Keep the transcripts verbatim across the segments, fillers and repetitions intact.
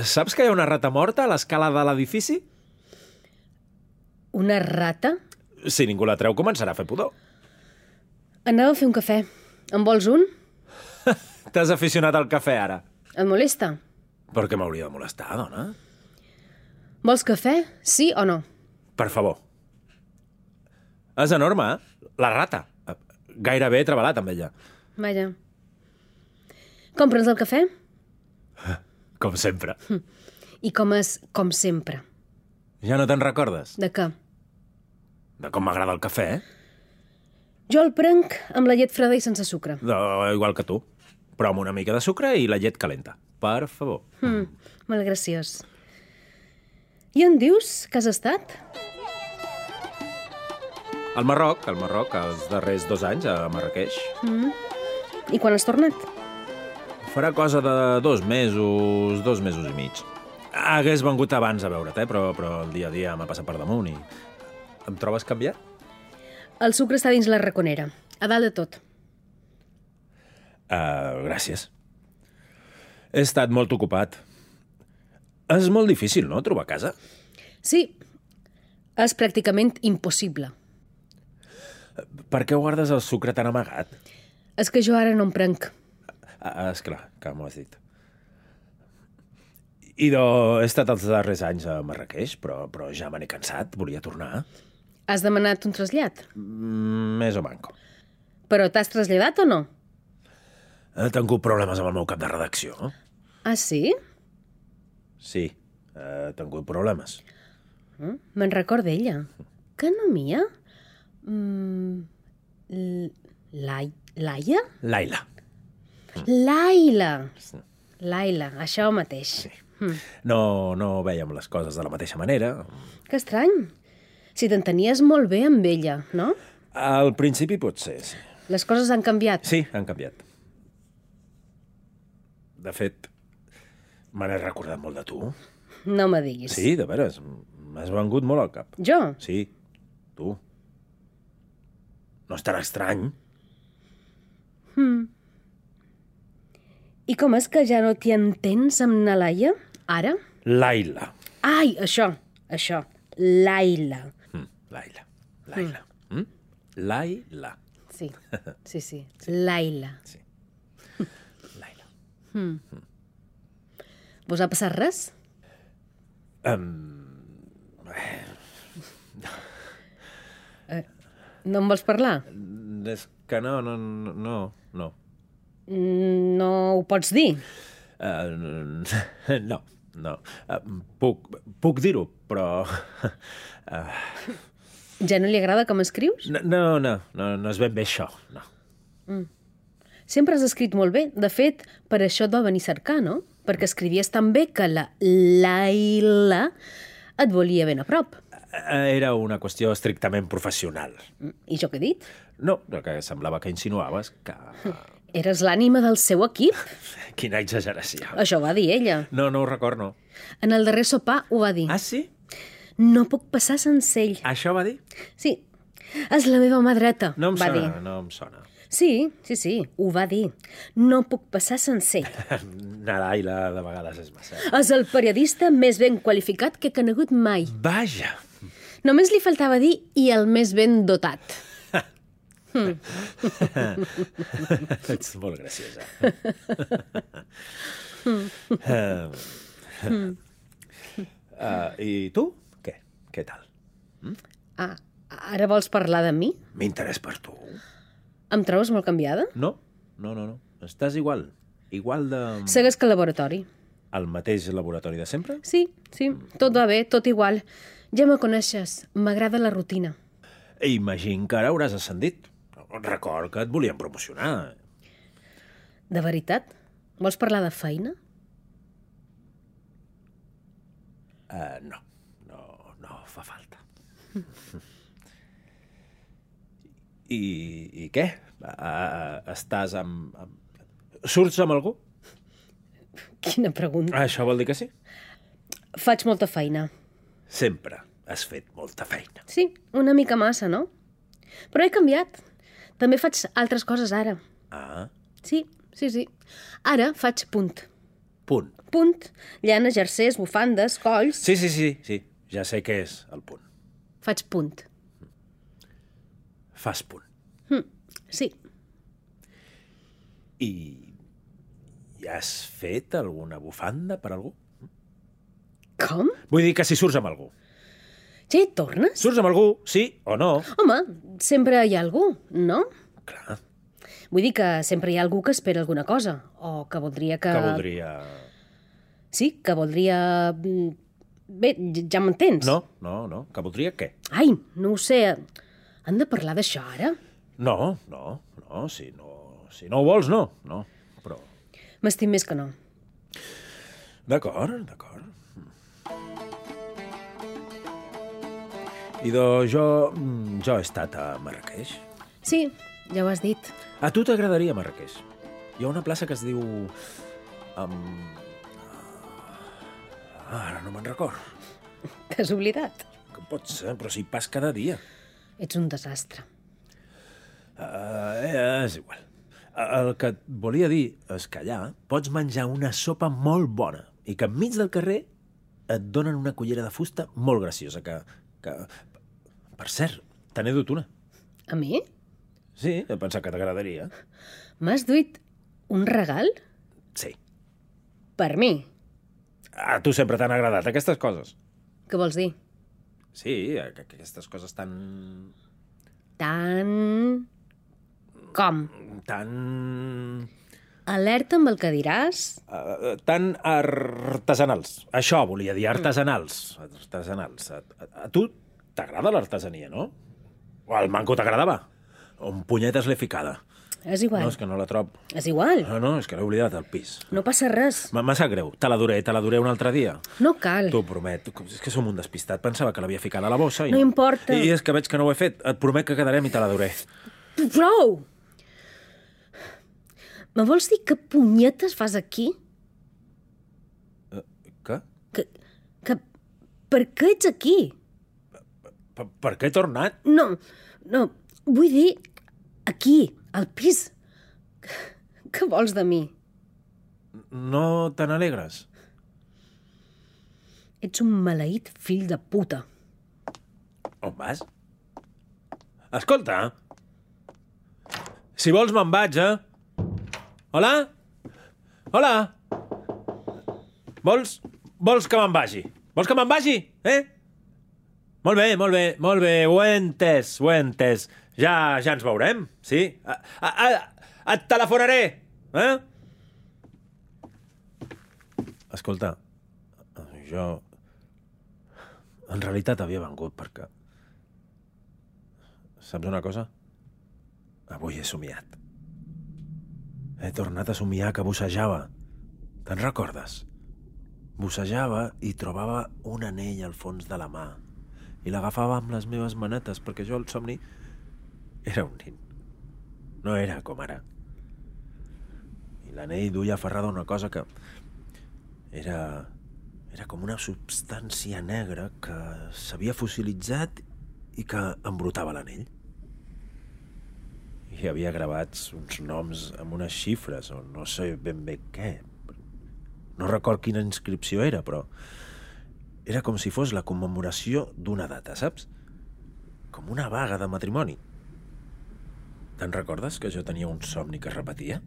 Saps que hi ha una rata morta a l'escala de l'edifici? Una rata? Si ningú la treu, començarà a fer pudor. Anava a fer un cafè. En vols un? T'has aficionat al cafè, ara. Et molesta? Per què m'hauria de molestar, dona? Vols cafè? Sí o no? Per favor. És enorme, eh? La rata. Gairebé he treballat amb ella. Vaja. Compra'ns el cafè? Com sempre. I com és com sempre? Ja no te'n recordes? De què? De com m'agrada el cafè, eh? Jo el prenc amb la llet freda i sense sucre. De, igual que tu. Però amb una mica de sucre i la llet calenta. Per favor. Mm, molt graciós. I on dius que has estat? Al Marroc, al Marroc, els darrers dos anys, a Marrakeix. Mm. I quan has tornat? Farà cosa de dos mesos, dos mesos i mig. Hagués vengut abans a veure't, eh? però, però el dia a dia m'ha passat per damunt i... Em trobes canviat? El sucre està dins la raconera, a dalt de tot. Uh, gràcies. He estat molt ocupat. És molt difícil, no?, trobar casa? Sí, és pràcticament impossible. Per què guardes el sucre tan amagat? És que jo ara no en prenc. Ah, esclar, que m'ho has dit. I do, he estat els darrers anys a Marrakeix, però, però ja me n'he cansat, volia tornar. Has demanat un trasllat? Mm, més o manco. Però t'has traslladat o no? He tingut problemes amb el meu cap de redacció. Ah, sí? Sí, he tingut problemes. Mm, me'n recorda ella. Que no mia? Mm, Lai... Laia? Laila. Laila. Laila, això mateix. Sí. Mm. No, no vèiem les coses de la mateixa manera. Que estrany. Si t'entenies molt bé amb ella, no? Al principi potser, sí. Les coses han canviat. Sí, han canviat. De fet, me n'he recordat molt de tu. No me diguis. Sí, de veres. M'has vengut molt al cap. Jo? Sí, tu. No és tan estrany. Hmm. I com és que ja no t'hi entens amb na Laia, ara? Laila. Ai, això, això. Laila. Mm, Laila. Laila. Mm. Mm? Laila. Sí, sí, sí. Laila. Sí. Laila. Hmm. Mm. Vos ha passat res? Um... Eh, no em vols parlar? És que no, no, no, no. No ho pots dir? Uh, no, no. Uh, puc puc dir-ho, però... Uh... Ja no li agrada com escrius? No, no, no, no, no és ben bé això, no. Mm. Sempre has escrit molt bé. De fet, per això et va venir a cercar, no? Perquè escrivies tan bé que la Laila et volia ben a prop. Era una qüestió estrictament professional. I jo què he dit? No, que semblava que insinuaves que... Eres l'ànima del seu equip? Quina exageració. Això va dir ella. No, no ho record, no. En el darrer sopar ho va dir. Ah, sí? No puc passar sense ell. Això va dir? Sí. És la meva mà dreta, no em va sona, dir. No em sona. Sí, sí, sí, ho va dir. No puc passar sense ell. Naraila, de vegades és massa. És el periodista més ben qualificat que he conegut mai. Vaja. Només li faltava dir i el més ben dotat. Mm. Ets molt graciosa. uh, uh, I tu? Què? Què tal? Mm? Ah, ara vols parlar de mi? M'interès per tu. Em trobes molt canviada? No, no, no, no. Estàs igual. Igual de... Segues que al laboratori. Al mateix laboratori de sempre? Sí, sí, tot va bé, tot igual. Ja me coneixes, m'agrada la rutina. Imagino que ara hauràs ascendit. Record que et volien promocionar. De veritat? Vols parlar de feina? Uh, no, no, no fa falta. I, i què? Uh, estàs amb, amb... Surts amb algú? Quina pregunta. Això vol dir que sí? Faig molta feina. Sempre has fet molta feina. Sí, una mica massa, no? Però he canviat. També faig altres coses ara. Ah. Sí, sí, sí. Ara faig punt. punt. Punt. Llana, jersers, bufandes, colls... Sí, sí, sí, sí. Ja sé què és el punt. Faig punt. Fas punt. Mm, sí. I... I has fet alguna bufanda per algú? Com? Vull dir que si surts amb algú. Ja hi tornes? Surts amb algú, sí o no? Home, sempre hi ha algú, no? Clar, Vull dir que sempre hi ha algú que espera alguna cosa, o que voldria que... que voldria... Sí, que voldria... mm, Bé, ja m'entens? No, no, no. Que voldria què? Ai, no ho sé. Han de parlar d'això ara? No, no, no. Si no, si no ho vols, no. No, però... M'estim més que no. D'acord, d'acord. I doncs jo... jo he estat a Marràqueix. Sí, ja ho has dit. A tu t'agradaria Marràqueix. Hi ha una plaça que es diu... Um... Ara no me'n record. T'has oblidat? Que pot ser, però si hi pas cada dia. Ets un desastre. Uh, és igual. El que et volia dir és que allà pots menjar una sopa molt bona i que enmig del carrer et donen una cullera de fusta molt graciosa que... que... Per cert, te n'he dut una. A mi? Sí, he pensat que t'agradaria. M'has duit un regal? Sí. Per mi? A tu sempre t'han agradat aquestes coses. Què vols dir? Sí, que aquestes coses tan... Tan... Com? tan... Alerta amb el que diràs. Uh, tan artesanals. Això volia dir, artesanals. Artesanals. A, a, a tu t'agrada l'artesania, no? O al manco t'agradava? On punyetes l'he ficada? És igual. No, és que no la trob. És igual. No, no, és que l'he oblidat al pis. No passa res. M'ha sap greu. Te la duré, te la duré un altre dia. No cal. T'ho promet. És que som un despistat. Pensava que l'havia ficat a la bossa i No importa. I és que veig que no ho he fet. Et promet que quedarem i te la duré. Prou! Me vols dir que punyetes fas aquí? Uh, què? Que, que... Per què ets aquí? Per, per què he tornat? No, no, vull dir aquí, al pis. Què vols de mi? No te n'alegres? Ets un maleït fill de puta. On vas? Escolta, si vols me'n vaig, eh? Hola? Hola? Vols, vols que me'n vagi? Vols que me'n vagi, eh? Molt bé, molt bé, molt bé, ho he entès, ho he entès. Ja, ja ens veurem, sí? A, a, a, et telefonaré, eh? Escolta, jo... En realitat havia vengut perquè... Saps una cosa? Avui he somiat. He tornat a somiar que bussejava. Te'n recordes? Bussejava i trobava un anell al fons de la mà i l'agafava amb les meves manetes perquè jo el somni era un nin. No era com ara. I l'anell duia aferrada una cosa que era... era com una substància negra que s'havia fossilitzat i que embrutava l'anell. Hi havia gravats uns noms amb unes xifres, o no sé ben bé què. No record quina inscripció era, però era com si fos la commemoració d'una data, saps? Com una vaga de matrimoni. Te'n recordes que jo tenia un somni que es repetia?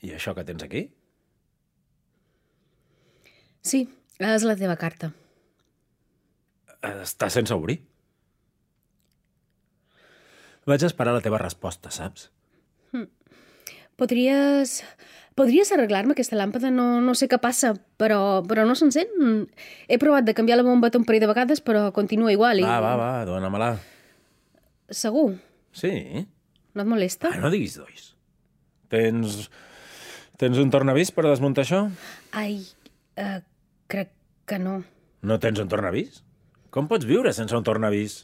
I això que tens aquí? Sí, és la teva carta. Està sense obrir. Vaig esperar la teva resposta, saps? Hm. Podries... Podries arreglar-me aquesta làmpada? No, no sé què passa, però, però no s'encén. He provat de canviar la bomba un parell de vegades, però continua igual. I... Va, va, va, dóna-me-la. Segur? Sí. No et molesta? Ah, no diguis dois. Tens... Tens un tornavís per desmuntar això? Ai, uh, crec que no. No tens un tornavís? Com pots viure sense un tornavís?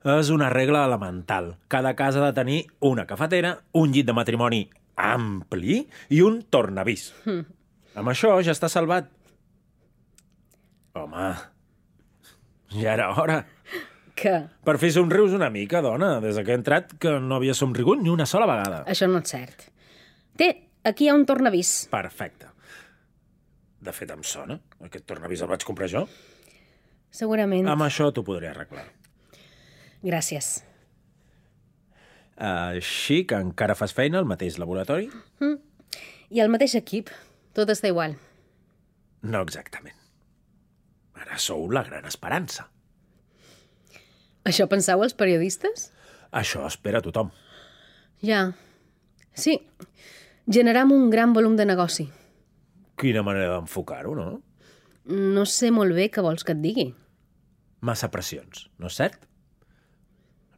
És una regla elemental. Cada casa ha de tenir una cafetera, un llit de matrimoni ampli i un tornavís. Mm. Amb això ja està salvat. Home, ja era hora. Què? Per fi somrius una mica, dona, des que he entrat que no havia somrigut ni una sola vegada. Això no és cert. Té, aquí hi ha un tornavís. Perfecte. De fet, em sona. Aquest tornavís el vaig comprar jo. Segurament. Amb això t'ho podré arreglar. Gràcies. Així que encara fas feina al mateix laboratori? Mm. I el mateix equip. Tot està igual. No exactament. Ara sou la gran esperança. Això penseu els periodistes? Això espera tothom. Ja. Sí. Generam un gran volum de negoci. Quina manera d'enfocar-ho, no? No sé molt bé què vols que et digui. Massa pressions, no és cert?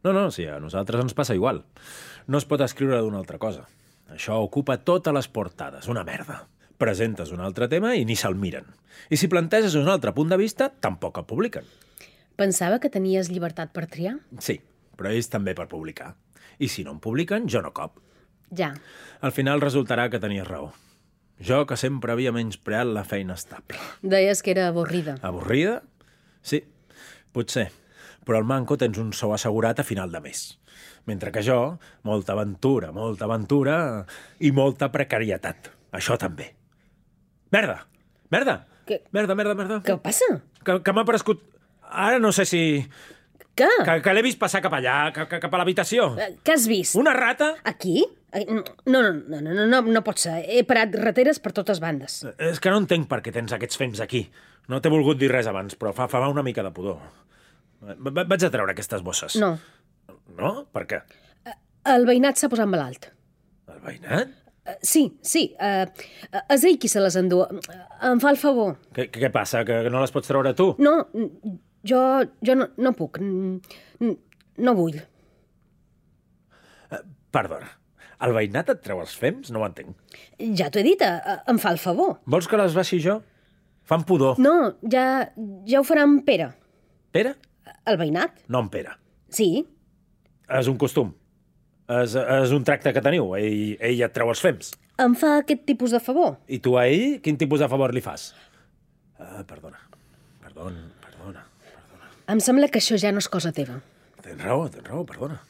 No, no, sí, a nosaltres ens passa igual. No es pot escriure d'una altra cosa. Això ocupa totes les portades, una merda. Presentes un altre tema i ni se'l miren. I si planteges un altre punt de vista, tampoc el publiquen. Pensava que tenies llibertat per triar. Sí, però ells també per publicar. I si no em publiquen, jo no cop. Ja. Al final resultarà que tenies raó. Jo, que sempre havia menyspreat la feina estable. Deies que era avorrida. Avorrida? Sí, potser. Però al Manco tens un sou assegurat a final de mes. Mentre que jo, molta aventura, molta aventura i molta precarietat. Això també. Merda! Merda! Què? Merda, merda, merda. Què passa? Que, que m'ha prescut... Ara no sé si... Què? Que, que l'he vist passar cap allà, cap, cap a l'habitació. Eh, Què has vist? Una rata? Aquí? Eh, No, no, no, no, no, no, no pot ser. He parat rateres per totes bandes. És que no entenc per què tens aquests fems aquí. No t'he volgut dir res abans, però fa, fa una mica de pudor. Va- Vaig a treure aquestes bosses. No. No? Per què? El veïnat s'ha posat malalt. El veïnat? Eh, Sí, sí. Uh, és ell qui se les endú. Em fa el favor. Què, què passa? Que no les pots treure tu? No, jo, jo no, no puc. No vull. Perdona. El veïnat et treu els fems? No ho entenc. Ja t'ho he dit, eh, em fa el favor. Vols que les baixi jo? Fan pudor. No, ja, ja ho farà en Pere. Pere? El veïnat? No en Pere. Sí. És un costum. És, és un tracte que teniu. Ell, ell et treu els fems. Em fa aquest tipus de favor. I tu a ell, quin tipus de favor li fas? Uh, perdona. Perdona, perdona, perdona. Em sembla que això ja no és cosa teva. Tens raó, tens raó, perdona.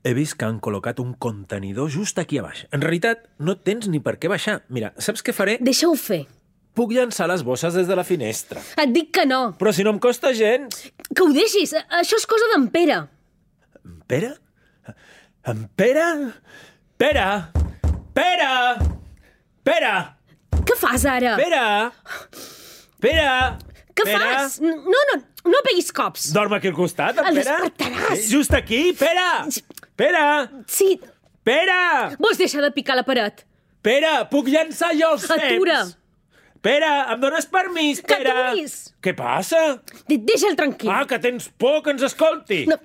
He vist que han col·locat un contenidor just aquí a baix. En realitat, no tens ni per què baixar. Mira, saps què faré? Deixa-ho fer. Puc llançar les bosses des de la finestra. Et dic que no. Però si no em costa gens. Que ho deixis. Això és cosa d'en Pere. En Pere? En Pere? Pere! Pere! Pere! Què fas ara? Pere! Pere! Què Pere? fas? No, no, no peguis cops. Dorm aquí al costat, en El Pere? despertaràs. Sí, just aquí, Pere! Pere! Sí, Pere! vols deixar de picar la paret? Pere, puc llançar jo els fems? Atura. Pere, em dones permís, Que Pere? aturis. Què passa? De- Deixa'l tranquil. Ah, que tens por que ens escolti. No,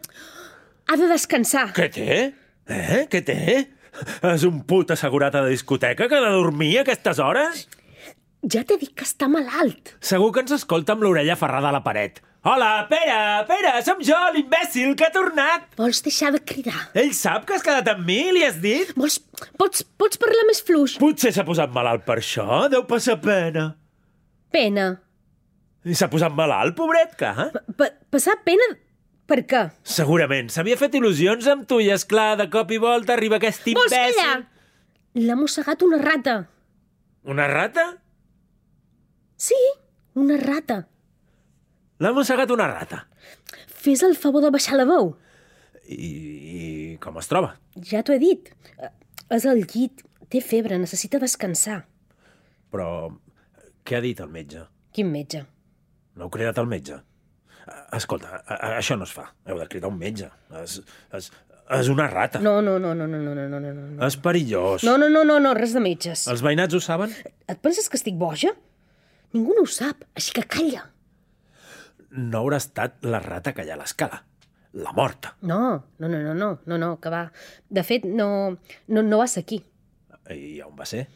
ha de descansar. Què té? Eh? Què té? És un put assegurat a la discoteca que ha de dormir a aquestes hores? Ja t'he dit que està malalt. Segur que ens escolta amb l'orella aferrada a la paret. Hola, Pere, Pere, som jo, l'imbècil que ha tornat. Vols deixar de cridar? Ell sap que has quedat amb mi, li has dit? Vols, pots, pots parlar més fluix? Potser s'ha posat malalt per això, deu passar pena. Pena. I s'ha posat malalt, pobret, que? Eh? Pa passar pena... Per què? Segurament, s'havia fet il·lusions amb tu i, esclar, de cop i volta arriba aquest Vols imbècil. callar? L'ha mossegat una rata. Una rata? Sí, una rata. L'ha mossegat una rata. Fes el favor de baixar la veu. I, i com es troba? Ja t'ho he dit. Eh, És al llit. Té febre, necessita descansar. Però què ha dit el metge? Quin metge? No heu cridat el metge? Escolta, a, a, això no es fa. Heu de cridar un metge. És, és, és una rata. No, no, no, no, no, no, no, no, no, no. És perillós. No, no, no, no, no, res de metges. Els veïnats ho saben? Et penses que estic boja? Ningú no ho sap, així que calla. No haurà estat la rata que hi ha a l'escala. La morta. No, no, no, no, no, no, no, que va. De fet, no, no, no va ser aquí. I on va ser?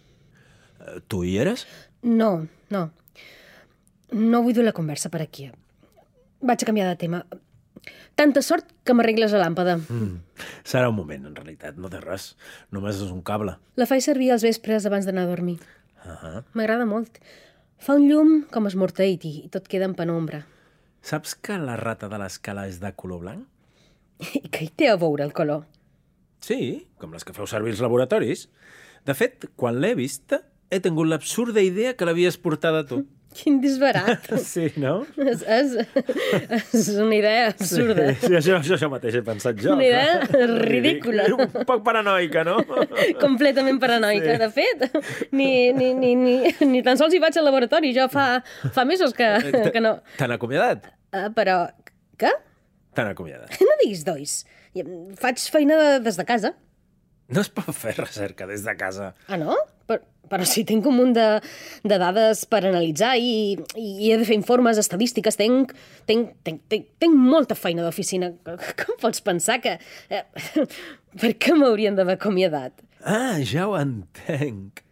Eh, Tu hi eres? No, no. No vull dur la conversa per aquí. Vaig a canviar de tema. Tanta sort que m'arregles la làmpada. Mm. Serà un moment, en realitat. No té res. Només és un cable. La faig servir als vespres abans d'anar a dormir. Uh -huh. M'agrada molt. Fa un llum com esmorteït i tot queda en penombra. Saps que la rata de l'escala és de color blanc? I què hi té a veure el color? Sí, com les que feu servir als laboratoris. De fet, quan l'he vista, he tingut l'absurda idea que l'havies portada tu. Quin disbarat. Sí, no? És, és, és una idea absurda. Sí, sí això, això, això mateix he pensat jo. Una idea ridícula. Un poc paranoica, no? Completament paranoica. Sí. De fet, ni, ni, ni, ni, ni tan sols hi vaig al laboratori. Jo fa, fa mesos que, que no... T'han acomiadat? Uh, però... Què? T'han acomiadat. No diguis dois. Faig feina de, des de casa. No es pot fer recerca des de casa. Ah, no? Però, però si tinc un munt de, de dades per analitzar i, i he de fer informes, estadístiques, tinc, tinc, tinc, tinc, tinc molta feina d'oficina. Com pots pensar que... Eh, per què m'haurien d'haver acomiadat? Ah, ja ho entenc.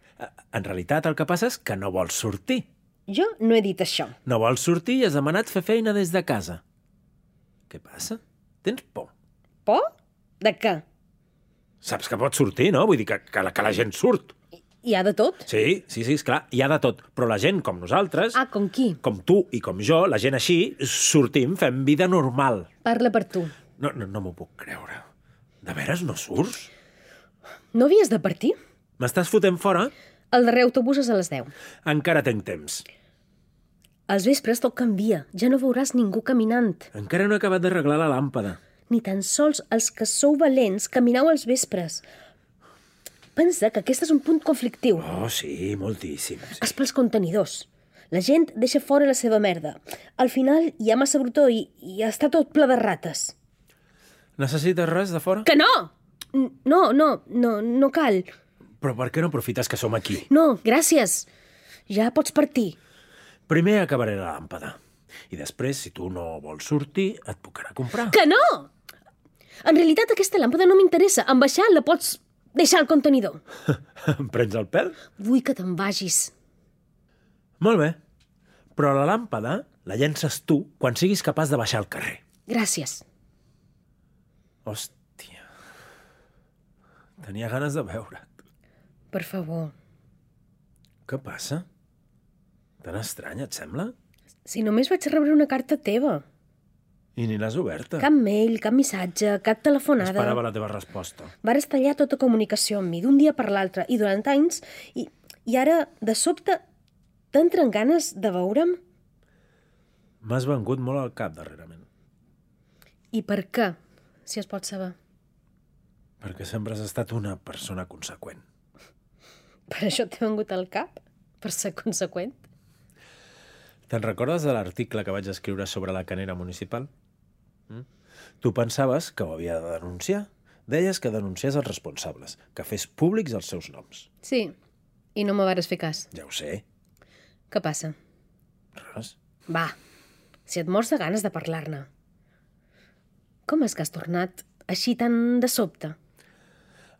En realitat, el que passa és que no vols sortir. Jo no he dit això. No vols sortir i has demanat fer feina des de casa. Què passa? Tens por? Por? De què? Saps que pots sortir, no? Vull dir que, que, la, que la gent surt. Hi ha de tot? Sí, sí, sí, esclar, hi ha de tot. Però la gent com nosaltres, Ah, com qui? com tu i com jo, la gent així, sortim, fem vida normal. Parla per tu. No, no, no m'ho puc creure. De veres no surts? No havies de partir? M'estàs fotent fora? El darrer autobús és a les deu. Encara tinc temps. Als vespres tot canvia. Ja no veuràs ningú caminant. Encara no he acabat d'arreglar la làmpada. Ni tan sols els que sou valents camineu als vespres. Pensa que aquest és un punt conflictiu. Oh, sí, moltíssim. Sí. És pels contenidors. La gent deixa fora la seva merda. Al final hi ha massa brutó i, i està tot ple de rates. Necessites res de fora? Que no! No, no, no, no cal. Però per què no aprofites que som aquí? No, gràcies. Ja pots partir. Primer acabaré la làmpada. I després, si tu no vols sortir, et puc anar a comprar. Que no! En realitat aquesta làmpada no m'interessa. En baixar la pots deixar al contenidor. Em prens el pèl? Vull que te'n vagis. Molt bé. Però la làmpada la llences tu quan siguis capaç de baixar al carrer. Gràcies. Hòstia. Tenia ganes de veure't. Per favor. Què passa? Tan estrany, et sembla? Si només vaig rebre una carta teva. I ni l'has oberta. Cap mail, cap missatge, cap telefonada. Esperava la teva resposta. Vares tallar tota comunicació amb mi d'un dia per l'altre i durant anys i, i ara, de sobte, t'entren ganes de veure'm? M'has vengut molt al cap darrerament. I per què, si es pot saber? Perquè sempre has estat una persona conseqüent. Per això t'he vengut al cap? Per ser conseqüent? Te'n recordes de l'article que vaig escriure sobre la canera municipal? Mm? Tu pensaves que ho havia de denunciar? Deies que denunciés els responsables, que fes públics els seus noms. Sí, i no me vares fer cas. Ja ho sé. Què passa? Res. Va, si et mors de ganes de parlar-ne. Com és que has tornat així tan de sobte?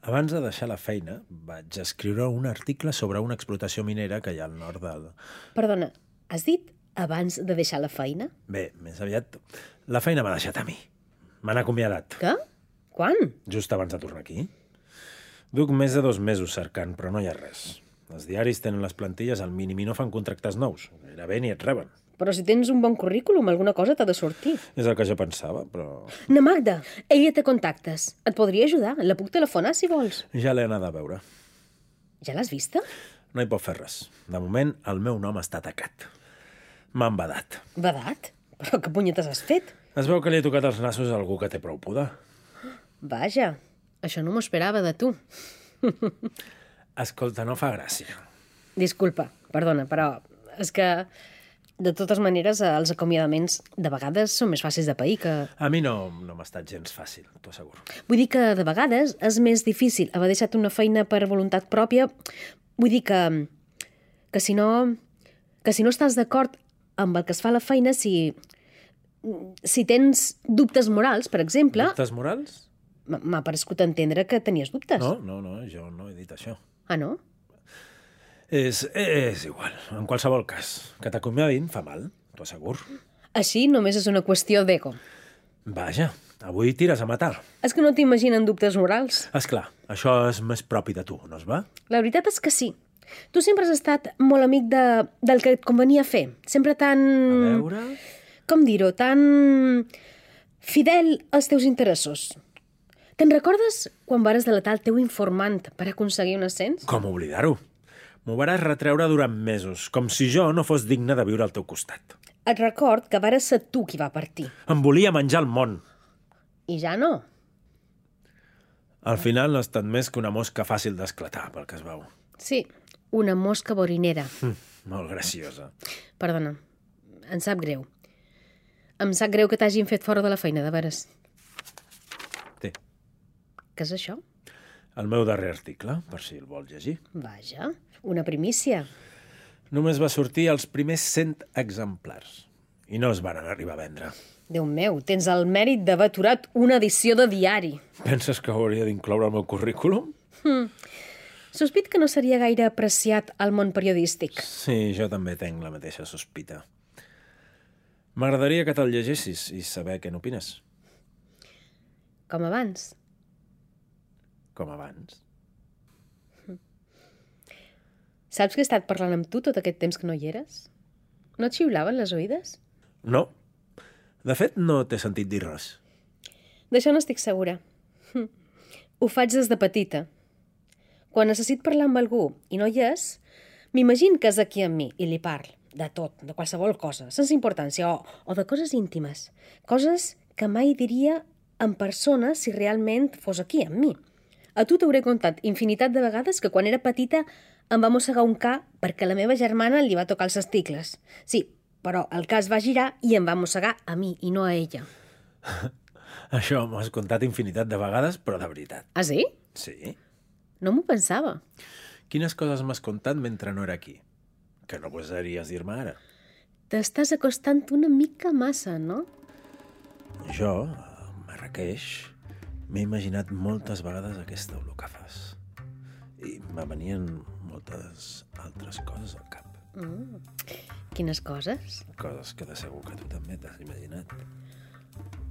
Abans de deixar la feina, vaig escriure un article sobre una explotació minera que hi ha al nord del... Perdona, has dit abans de deixar la feina? Bé, més aviat, la feina m'ha deixat a mi. M'han acomiadat. Què? Quan? Just abans de tornar aquí. Duc més de dos mesos cercant, però no hi ha res. Els diaris tenen les plantilles al mínim i no fan contractes nous. Gairebé ni et reben. Però si tens un bon currículum, alguna cosa t'ha de sortir. És el que jo pensava, però... Na Magda, ella té contactes. Et podria ajudar. La puc telefonar, si vols. Ja l'he anat a veure. Ja l'has vista? No hi pot fer res. De moment, el meu nom està tacat. M'han badat. Badat? Però què punyetes has fet? Es veu que li he tocat els nassos a algú que té prou poder. Vaja, això no m'ho esperava de tu. Escolta, no fa gràcia. Disculpa, perdona, però és que, de totes maneres, els acomiadaments de vegades són més fàcils de pair que... A mi no, no m'ha estat gens fàcil, t'ho asseguro. Vull dir que, de vegades, és més difícil haver deixat una feina per voluntat pròpia. Vull dir que, que si no... que si no estàs d'acord amb el que es fa a la feina, si... si tens dubtes morals, per exemple... Dubtes morals? M'ha parescut entendre que tenies dubtes. No, no, no, jo no he dit això. Ah, no? És, és igual, en qualsevol cas. Que t'acomiadin fa mal, t'ho asseguro. Així només és una qüestió d'ego. Vaja, avui tires a matar. És que no t'imaginen dubtes morals. Esclar, això és més propi de tu, no es va? La veritat és que sí. Tu sempre has estat molt amic de, del que et convenia fer. Sempre tan... A veure... Com dir-ho? Tan... fidel als teus interessos. Te'n recordes quan vares delatar el teu informant per aconseguir un ascens? Com oblidar-ho? M'ho vares retreure durant mesos, com si jo no fos digne de viure al teu costat. Et record que vares ser tu qui va partir. Em volia menjar el món. I ja no. Al final no ha estat més que una mosca fàcil d'esclatar, pel que es veu. Sí, una mosca borinera. Hm, molt graciosa. Perdona, em sap greu. Em sap greu que t'hagin fet fora de la feina, de veres. Té, Què és això? el meu darrer article, per si el vols llegir. Vaja, una primícia. Només va sortir als primers cent exemplars i no es van arribar a vendre. Déu meu, tens el mèrit d'haver aturat una edició de diari. Penses que ho hauria d'incloure al meu currículum? Hm. Sospit que no seria gaire apreciat al món periodístic. Sí, jo també tenc la mateixa sospita. M'agradaria que te'l llegessis i saber què n'opines. Com abans. Com abans. Saps que he estat parlant amb tu tot aquest temps que no hi eres? No et xiulaven les oïdes? No. De fet, no t'he sentit dir res. D'això no estic segura. Hm. Ho faig des de petita. Quan necessit parlar amb algú i no hi és, m'imagino que és aquí amb mi i li parlo. De tot, de qualsevol cosa, sense importància, o, o de coses íntimes. Coses que mai diria en persona si realment fos aquí amb mi. A tu t'hauré contat infinitat de vegades que quan era petita em va mossegar un ca perquè la meva germana li va tocar els testicles. Sí, però el cas va girar i em va mossegar a mi i no a ella. Això m'ho has contat infinitat de vegades, però de veritat. Ah, sí? Sí? No m'ho pensava. Quines coses m'has contat mentre no era aquí? Que no gosaries dir-me ara. T'estàs acostant una mica massa, no? Jo, a Marrakeix, m'he imaginat moltes vegades aquesta olor que fas. I me venien moltes altres coses al cap. Mm. Quines coses? Coses que de segur que tu també t'has imaginat.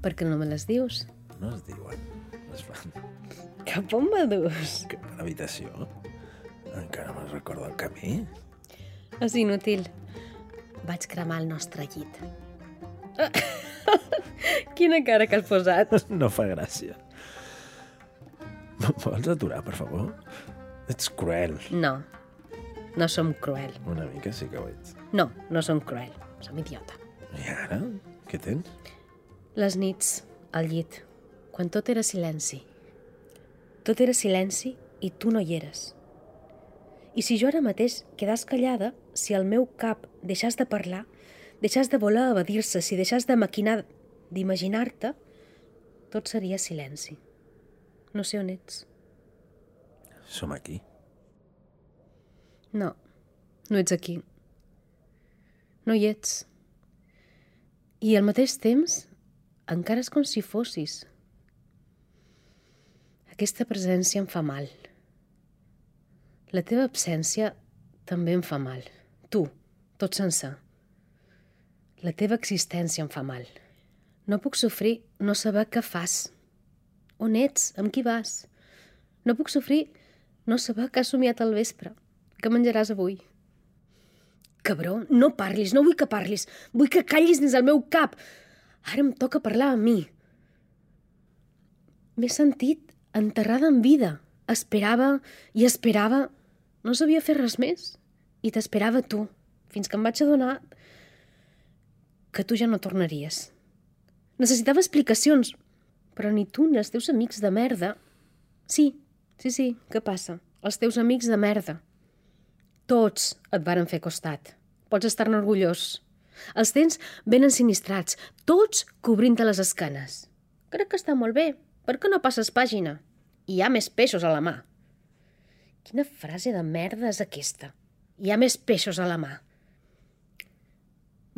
Per què no me les dius? No es diuen, es fan. Cap on me dus? Cap a l'habitació. Encara me'n recordo el camí. És inútil. Vaig cremar el nostre llit. Quina cara que has posat. No fa gràcia. Vols aturar, per favor? Ets cruel. No, no som cruel. Una mica sí que ho ets. No, no som cruel. Som idiota. I ara? Què tens? Les nits, al llit, quan tot era silenci. Tot era silenci i tu no hi eres. I si jo ara mateix quedàs callada, si el meu cap deixàs de parlar, deixàs de voler evadir-se, si deixàs de maquinar, d'imaginar-te, tot seria silenci. No sé on ets. Som aquí. No, no ets aquí. No hi ets. I al mateix temps, encara és com si fossis. Aquesta presència em fa mal. La teva absència també em fa mal. Tu, tot sencer. La teva existència em fa mal. No puc sofrir no saber què fas. On ets? Amb qui vas? No puc sofrir no saber què has somiat al vespre. Què menjaràs avui? Cabró, no parlis, no vull que parlis. Vull que callis dins el meu cap. Ara em toca parlar a mi. M'he sentit enterrada en vida. Esperava i esperava. No sabia fer res més. I t'esperava tu, fins que em vaig adonar que tu ja no tornaries. Necessitava explicacions, però ni tu ni els teus amics de merda... Sí, sí, sí, què passa? Els teus amics de merda. Tots et varen fer costat. Pots estar-ne orgullós. Els tens ben ensinistrats, tots cobrint-te les esquenes. Crec que està molt bé. Per què no passes pàgina? Hi ha més peixos a la mà. Quina frase de merda és aquesta? Hi ha més peixos a la mà.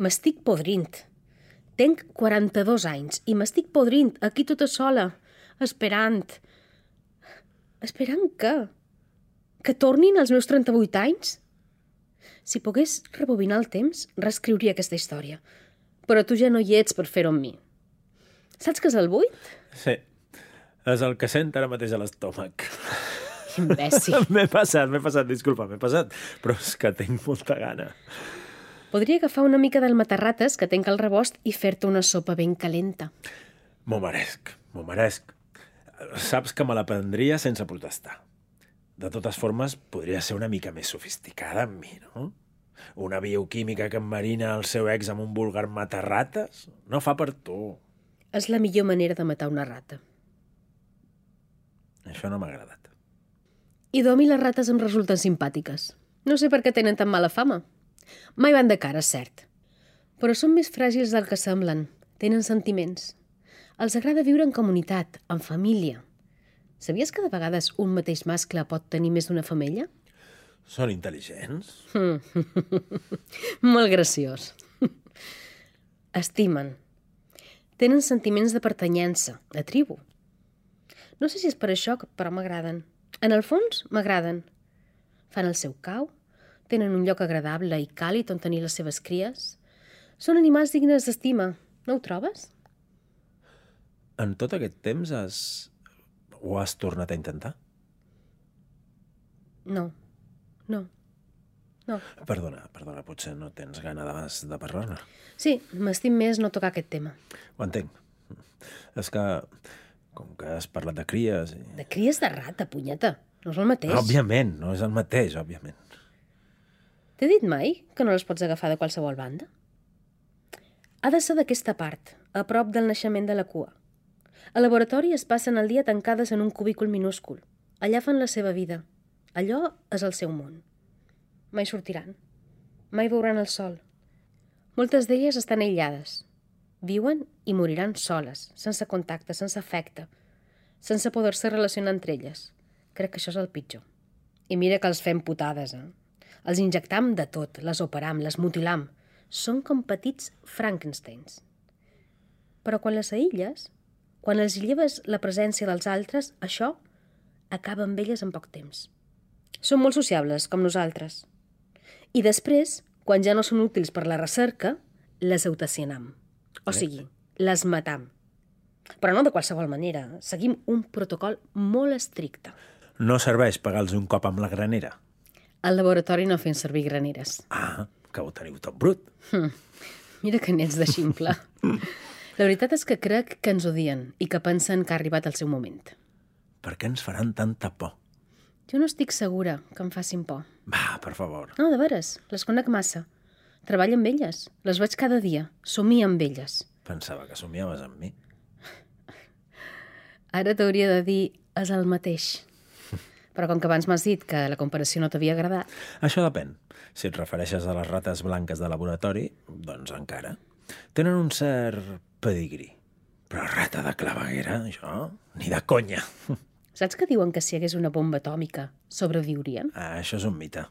M'estic podrint. Tenc quaranta-dos anys i m'estic podrint aquí tota sola, esperant. Esperant què? Que tornin els meus trenta-vuit anys? Si pogués rebobinar el temps, reescriuria aquesta història. Però tu ja no hi ets per fer-ho amb mi. Saps què és el buit? Sí. És el que sent ara mateix a l'estómac. Imbècil. M'he passat, m'he passat, disculpa, m'he passat. Però és que tinc molta gana. Podria agafar una mica del matarrates que tenc al rebost i fer-te una sopa ben calenta. M'ho meresc, m'ho meresc. Saps que me la prendria sense protestar. De totes formes, podria ser una mica més sofisticada amb mi, no? Una bioquímica que enmarina el seu ex amb un vulgar matarrates no fa per tu. És la millor manera de matar una rata. Això no m'ha agradat. I Dom i les rates em resulten simpàtiques. No sé per què tenen tan mala fama. Mai van de cara, és cert. Però són més fràgils del que semblen. Tenen sentiments. Els agrada viure en comunitat, en família. Sabies que de vegades un mateix mascle pot tenir més d'una femella? Són intel·ligents? Molt graciós. Estimen. Tenen sentiments de pertanyença, de tribu. No sé si és per això, però m'agraden. En el fons, m'agraden. Fan el seu cau, tenen un lloc agradable i càlid on tenir les seves cries. Són animals dignes d'estima, no ho trobes? En tot aquest temps has... ho has tornat a intentar? No, no, no. Perdona, perdona, potser no tens gana de, de parlar-ne. Sí, m'estim més no tocar aquest tema. Ho entenc. És que, com que has parlat de cries... I... De cries de rata, punyeta. No és el mateix. Òbviament, no és el mateix, òbviament. T'he dit mai que no les pots agafar de qualsevol banda? Ha de ser d'aquesta part, a prop del naixement de la cua. Al laboratori es passen el dia tancades en un cubícul minúscul. Allà fan la seva vida. Allò és el seu món. Mai sortiran. Mai veuran el sol. Moltes d'elles estan aïllades. Viuen i moriran soles, sense contacte, sense afecte, sense poder-se relacionar entre elles. Crec que això és el pitjor. I mira que els fem putades, eh? Els injectam de tot, les operam, les mutilam. Són com petits Frankensteins. Però quan les aïlles, quan els lleves la presència dels altres, això acaba amb elles en poc temps. Són molt sociables, com nosaltres. I després, quan ja no són útils per la recerca, les eutacionam. O sigui, les matam. Però no de qualsevol manera. Seguim un protocol molt estricte. No serveix pegar-los un cop amb la granera? Al laboratori no fem servir graneres. Ah, que ho teniu tot brut. Hm. Mira que n'ets de ximple. La veritat és que crec que ens odien i que pensen que ha arribat el seu moment. Per què ens faran tanta por? Jo no estic segura que em facin por. Va, per favor. No, de veres, les conec massa. Treballo amb elles, les veig cada dia, somio amb elles. Pensava que somiaves amb mi. Ara t'hauria de dir és el mateix. Però com que abans m'has dit que la comparació no t'havia agradat... Això depèn. Si et refereixes a les rates blanques de laboratori, doncs encara. Tenen un cert pedigrí. Però rata de claveguera, això, ni de conya. Saps que diuen que si hi hagués una bomba atòmica sobreviurien? Ah, això és un mite.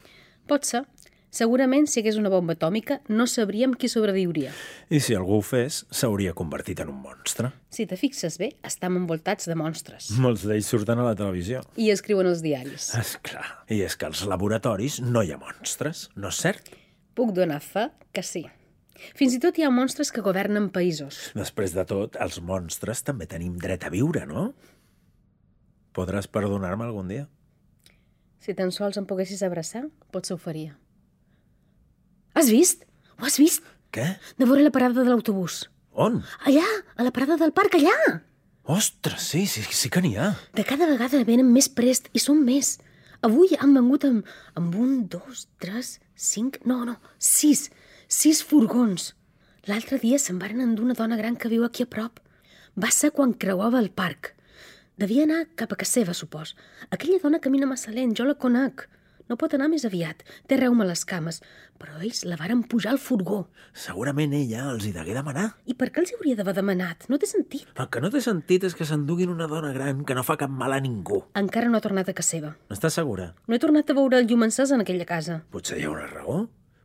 Pot ser. Segurament, si hi hagués una bomba atòmica, no sabríem qui sobreviuria. I si algú ho fes, s'hauria convertit en un monstre. Si te fixes bé, estem envoltats de monstres. Molts d'ells surten a la televisió. I escriuen els diaris. Esclar. I és que als laboratoris no hi ha monstres, no és cert? Puc donar fe que sí. Fins i tot hi ha monstres que governen països. Després de tot, els monstres també tenim dret a viure, no? Podràs perdonar-me algun dia? Si tan sols em poguessis abraçar, potser ho faria. Has vist? Ho has vist? Què? De vora la parada de l'autobús. On? Allà, a la parada del parc, allà! Ostres, sí, sí, sí que n'hi ha. De cada vegada venen més prest i són més. Avui han vengut amb, amb un, dos, tres, cinc... No, no, sis. Sis furgons. L'altre dia se'n varen endur una dona gran que viu aquí a prop. Va ser quan creuava el parc. Devia anar cap a casa seva, supos. Aquella dona camina massa lent, jo la conec. No pot anar més aviat. Té reuma a les cames. Però ells la varen pujar al furgó. Segurament ella els hi degué demanar. I per què els hi hauria d'haver demanat? No té sentit. El que no té sentit és que s'enduguin una dona gran que no fa cap mal a ningú. Encara no ha tornat a casa seva. Estàs segura? No he tornat a veure el llum encès en aquella casa. Potser hi ha una raó.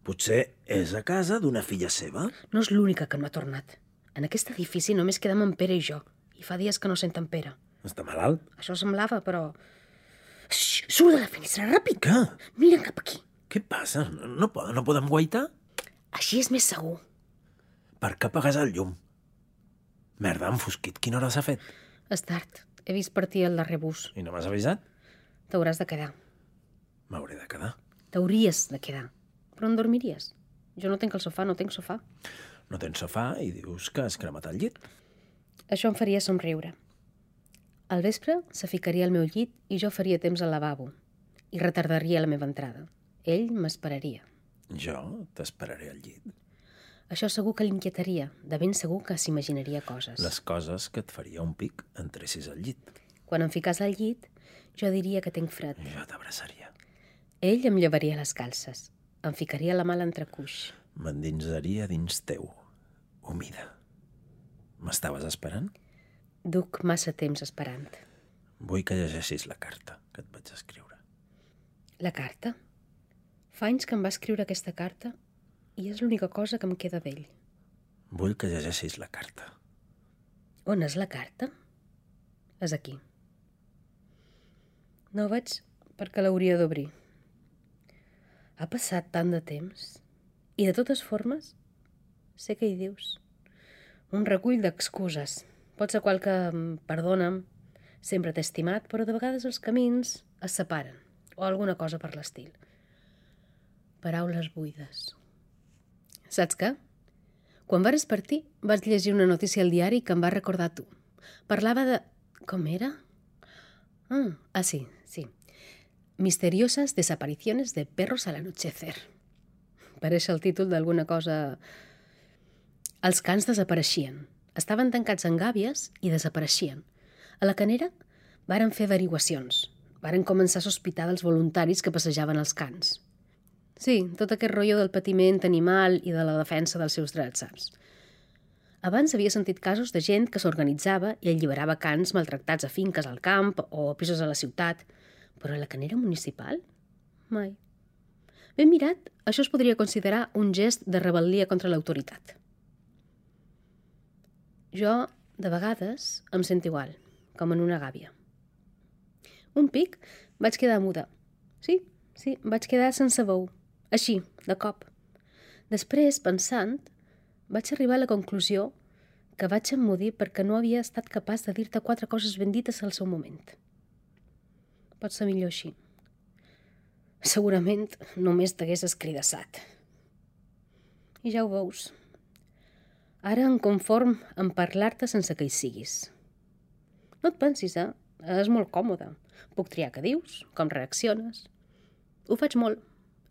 Potser és a casa d'una filla seva. No és l'única que no ha tornat. En aquest edifici només quedem en Pere i jo. I fa dies que no sent en Pere. Està malalt? Això semblava, però... Xxxt, surt de la finestra, ràpid! Què? Mira cap aquí. Què passa? No, pod no podem guaitar? Així és més segur. Per què apagues el llum? Merda, enfosquit. Quina hora s'ha fet? És tard. He vist partir el darrer bus. I no m'has avisat? T'hauràs de quedar. M'hauré de quedar. T'hauries de quedar. Però on dormiries? Jo no tinc el sofà, no tinc sofà. No tens sofà i dius que has cremat el llit. Això em faria somriure. Al vespre se ficaria al meu llit i jo faria temps al lavabo i retardaria la meva entrada. Ell m'esperaria. Jo t'esperaré al llit. Això segur que l'inquietaria, de ben segur que s'imaginaria coses. Les coses que et faria un pic entressis al llit. Quan em ficàs al llit, jo diria que tinc fred. Jo t'abraçaria. Ell em llevaria les calces, em ficaria la mà a l'entrecuix. M'endinsaria dins teu, humida. M'estaves esperant? Duc massa temps esperant. Vull que llegeixis la carta que et vaig escriure. La carta? Fa anys que em va escriure aquesta carta i és l'única cosa que em queda d'ell. Vull que llegeixis la carta. On és la carta? És aquí. No veig perquè l'hauria d'obrir. Ha passat tant de temps i de totes formes sé què hi dius. Un recull d'excuses. Pot ser qual que perdona'm, sempre t'he estimat, però de vegades els camins es separen o alguna cosa per l'estil. Paraules buides. Saps què? Quan vares partir, vaig llegir una notícia al diari que em va recordar tu. Parlava de... Com era? Ah, ah sí, sí. Misteriosas desapariciones de perros al anochecer. Pareix el títol d'alguna cosa... Els cans desapareixien. Estaven tancats en gàbies i desapareixien. A la Canera varen fer averiguacions. Varen començar a sospitar dels voluntaris que passejaven els cans. Sí, tot aquest rotllo del patiment animal i de la defensa dels seus drets, saps? Abans havia sentit casos de gent que s'organitzava i alliberava cans maltractats a finques al camp o a pisos a la ciutat, però a la Canera municipal? Mai. Ben mirat, això es podria considerar un gest de rebel·lia contra l'autoritat. Jo, de vegades, em sento igual, com en una gàbia. Un pic vaig quedar muda. Sí, sí, vaig quedar sense veu. Així, de cop. Després, pensant, vaig arribar a la conclusió que vaig emmudir perquè no havia estat capaç de dir-te quatre coses ben dites al seu moment. Pot ser millor així. Segurament només t'hagués escridassat. I ja ho veus. Ara em conform en parlar-te sense que hi siguis. No et pensis, eh? És molt còmode. Puc triar què dius, com reacciones. Ho faig molt,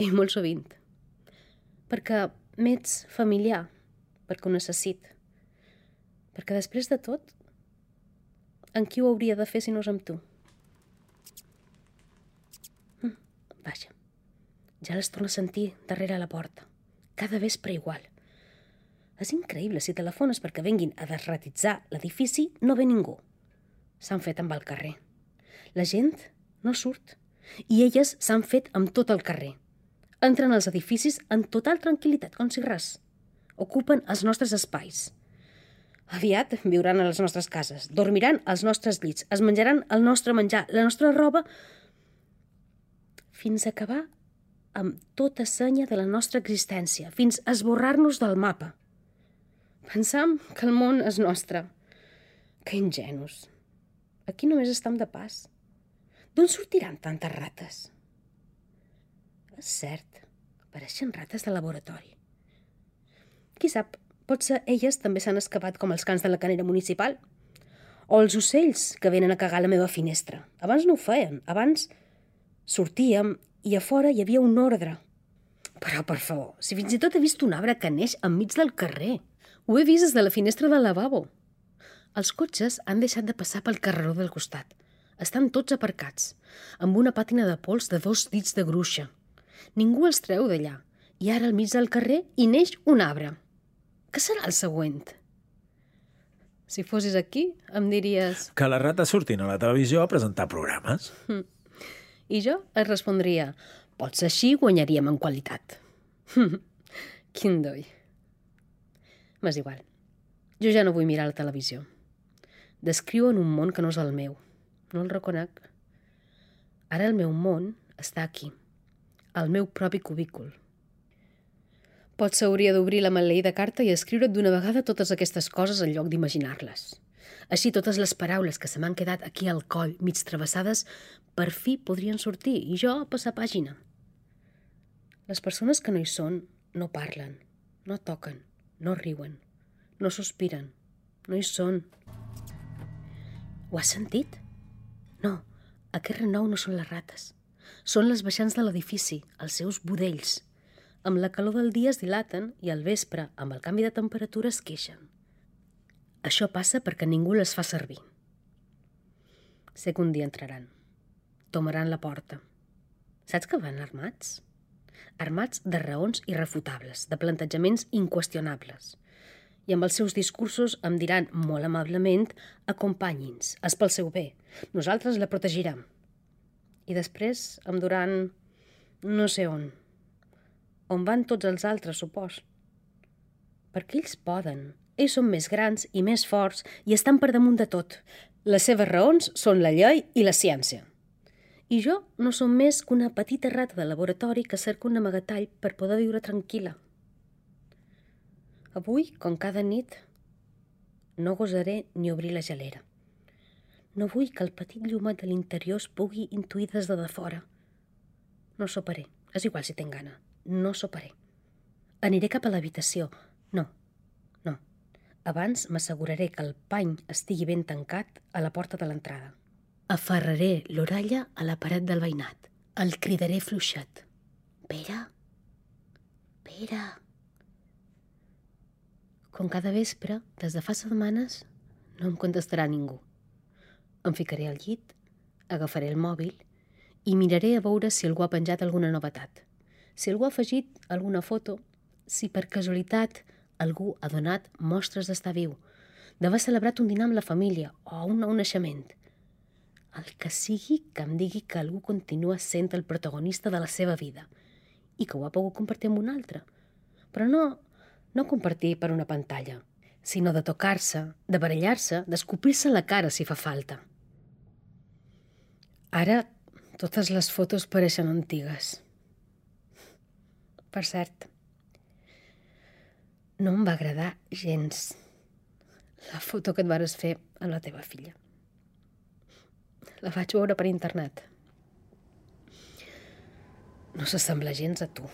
i molt sovint. Perquè m'ets familiar, perquè ho necessit. Perquè després de tot, en qui ho hauria de fer si no és amb tu? Hm, vaja, ja les torno a sentir darrere la porta. Cada vespre igual. És increïble, si telefones perquè venguin a desratitzar l'edifici, no ve ningú. S'han fet amb el carrer. La gent no surt. I elles s'han fet amb tot el carrer. Entren als edificis en total tranquil·litat, com si res. Ocupen els nostres espais. Aviat viuran a les nostres cases, dormiran als nostres llits, es menjaran el nostre menjar, la nostra roba, fins a acabar amb tota senya de la nostra existència, fins a esborrar-nos del mapa. Pensam que el món és nostre. Que ingenus. Aquí només estem de pas. D'on sortiran tantes rates? És cert, pareixen rates de laboratori. Qui sap, potser elles també s'han escapat com els cans de la Canera municipal. O els ocells que venen a cagar a la meva finestra. Abans no ho feien. Abans sortíem i a fora hi havia un ordre. Però, per favor, si fins i tot he vist un arbre que neix enmig del carrer. Ho he vist des de la finestra del lavabo. Els cotxes han deixat de passar pel carreró del costat. Estan tots aparcats, amb una pàtina de pols de dos dits de gruixa. Ningú els treu d'allà. I ara al mig del carrer hi neix un arbre. Què serà el següent? Si fossis aquí, em diries... Que les rates surtin a la televisió a presentar programes. Hm. I jo et respondria, potser així guanyaríem en qualitat. Quin doi. M'és igual. Jo ja no vull mirar la televisió. Descriuen un món que no és el meu. No el reconec. Ara el meu món està aquí, al meu propi cubícul. Potser hauria d'obrir la maleïda carta i escriure't d'una vegada totes aquestes coses en lloc d'imaginar-les. Així totes les paraules que se m'han quedat aquí al coll, mig travessades, per fi podrien sortir i jo passar pàgina. Les persones que no hi són no parlen, no toquen, no riuen, no sospiren, no hi són. Ho has sentit? No, aquest renou no són les rates. Són les baixants de l'edifici, els seus budells. Amb la calor del dia es dilaten i al vespre, amb el canvi de temperatura, es queixen. Això passa perquè ningú les fa servir. Sé que un dia entraran. Tomaran la porta. Saps que van armats? Armats de raons irrefutables, de plantejaments inqüestionables. I amb els seus discursos em diran molt amablement acompanyi'ns, és pel seu bé. Nosaltres la protegirem. I després em duran no sé on. On van tots els altres, supos. Perquè ells poden. Ells són més grans i més forts i estan per damunt de tot. Les seves raons són la llei i la ciència. I jo no som més que una petita rata de laboratori que cerca un amagatall per poder viure tranquil·la. Avui, com cada nit, no gosaré ni obrir la gelera. No vull que el petit llumet de l'interior es pugui intuir des de de fora. No soparé. És igual si tinc gana. No soparé. Aniré cap a l'habitació. No, no. Abans m'asseguraré que el pany estigui ben tancat a la porta de l'entrada. Aferraré l'orella a la paret del veïnat. El cridaré fluixet. Pere? Pere? Com cada vespre, des de fa setmanes, no em contestarà ningú. Em ficaré al llit, agafaré el mòbil i miraré a veure si algú ha penjat alguna novetat. Si algú ha afegit alguna foto, si per casualitat algú ha donat mostres d'estar viu, d'haver celebrat un dinar amb la família o un nou naixement. El que sigui que em digui que algú continua sent el protagonista de la seva vida i que ho ha pogut compartir amb un altre. Però no, no compartir per una pantalla, sinó de tocar-se, de barallar-se, d'escopir-se la cara si fa falta. Ara totes les fotos pareixen antigues. Per cert, no em va agradar gens la foto que et vares fer amb la teva filla. La vaig veure per internet. No s'assembla gens a tu.